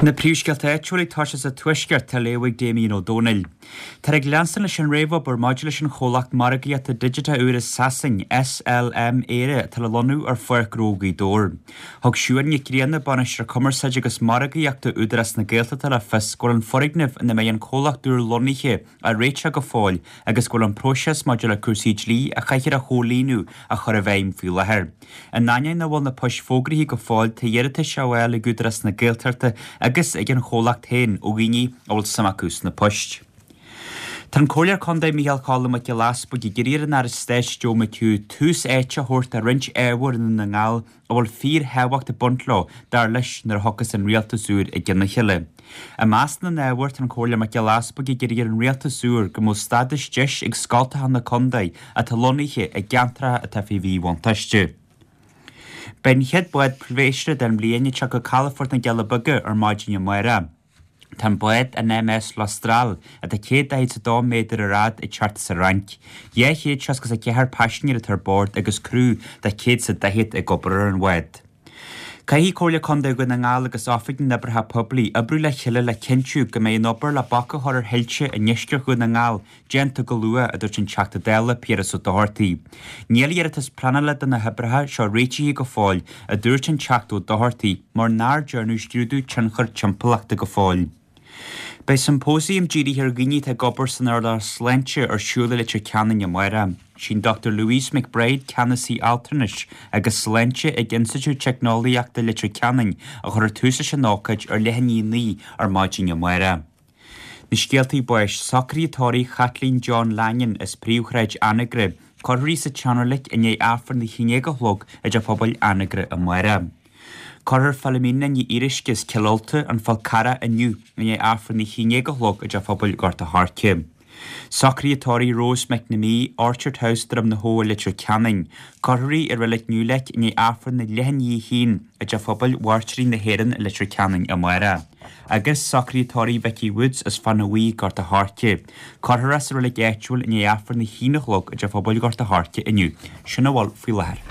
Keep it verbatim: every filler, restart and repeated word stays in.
Na príomhscéalta áitiúla ag toiseacht sa Tuaisceart á léamh ag Damien Ó Dónaill. Táthar ag leanstan leis an réamhobair maidir leis an chomhlacht margaíochta digiteach úr i Sasain, SLM Éire, atá le lonnú ar Pháirc Ghnó Ghaoth Dobhair. Thug Siún Nic Grianna, Bainisteoir Cumarsáide agus Margaíochta Údarás na Gaeltachta le fios go bhfuil an foirgneamh ina mbeidh an comhlacht úr lonnaithe á réiteach go fóill agus go bhfuil an próiseas maidir le cúrsaí dlí a chaithfear a chomhlíonadh á chur i bhfeidhm faoi láthair. In ainneoin nach bhfuil na poist fógraithe go fóill, tá iarratais á bhfáil ag Údarás na Gaeltachta agus ag an chomhlacht féin ó dhaoine a bhfuil suim acu sna poist. Tá an Comhairleoir Contae Micheál Cholm Mac Giolla Easbuig ag iarraidh ar an Aire Stáit Joe McHugh tús áite a thabhairt do roinnt ábhar i nDún na nGall a bhfuil fíorthábhacht ag baint leo, dar leis, nuair a thiocfas an rialtas úr i gcionn a chéile. I measc na n-ábhar, tá an Comhairleoir Mac Giolla Easbuig ag iarraidh ar an rialtas úr go mbeadh stádas deis ag scoltacha na contae atá lonnaithe i gceantracha atá faoi mhíbhuntáiste. Beidh an chéad bád pléisiúir den bhliain ag teacht go calafort na gCealla Beaga ar maidin amárach. Tá an bád, an MS L'Austral, atá céad daichead is a dó méadar ar fhad, ag teacht as an Fhrainc. Dhá chéad seasca is a ceathair paisinéir atá ar bord agus criú de céad is a daichead ag obair ar an bhád. Caithfidh Comhairle Contae Dhún na nGall agus Oifig na nOibreacha Poiblí oibriú le chéile le cinntiú go mbeidh an obair le bac a chur ar thuilte i ndeisceart Dhún na nGall déanta go luath, a dúirt an Teachta Dála Piaras Ó Dochartaigh. Níl iarratas pleanála do na hoibreacha seo réitithe go fóill, a dúirt an Teachta Ó Dochartaigh, mar nár dearnadh scrúdú tionchair timpeallachta go fóill. Beidh siompóisiam dírithe ar dhaoine atá ag obair san earnáil sláinte ar siúl i Leitir Ceanainn amárach. Sí an Dochtúir Louise McBride, Ceannasaí Altranais agus Sláinte ag Institiúid Teicneolaíochta Leitir Ceanainn, a chuirfidh tús leis an ócáid ar leath i ndiaidh a naoi ar maidin amárach. Na scéaltaí báis, socruithe tórraimh Chaitlín John Lanyon as Príomhshráid Anagaire, cuirfear í sa tseanreilig i ndiaidh Aifreann a haon déag a chlog i dTeach Pobail Anagaire amárach. Cuirfear Philomena Ní Fhíoruisce as Cill Ulta, An Fál Carrach inniu i ndiaidh Aifreann a haon déag a chlog i dTeach Phobail Ghort a' Choirce. Socruithe tórraimh Rose McNamee, Orchard House, Droim na hAbha, Leitir Ceanainn. Cuirfear í i Reilig Newlake i ndiaidh Aifreann a leath i ndiaidh a haon i dTeach Phobail Mhairtírigh na hÉireann i Leitir Ceanainn amárach. Agus socruithe tórraimh Vicky Woods as Fána Bhuí, Gort a' Choirce. Cuirfear í sa reilig áitiúil i ndiaidh Aifreann a haon a chlog i dTeach Phobail Ghort a' Choirce inniu. Sin a bhfuil faoi láthair.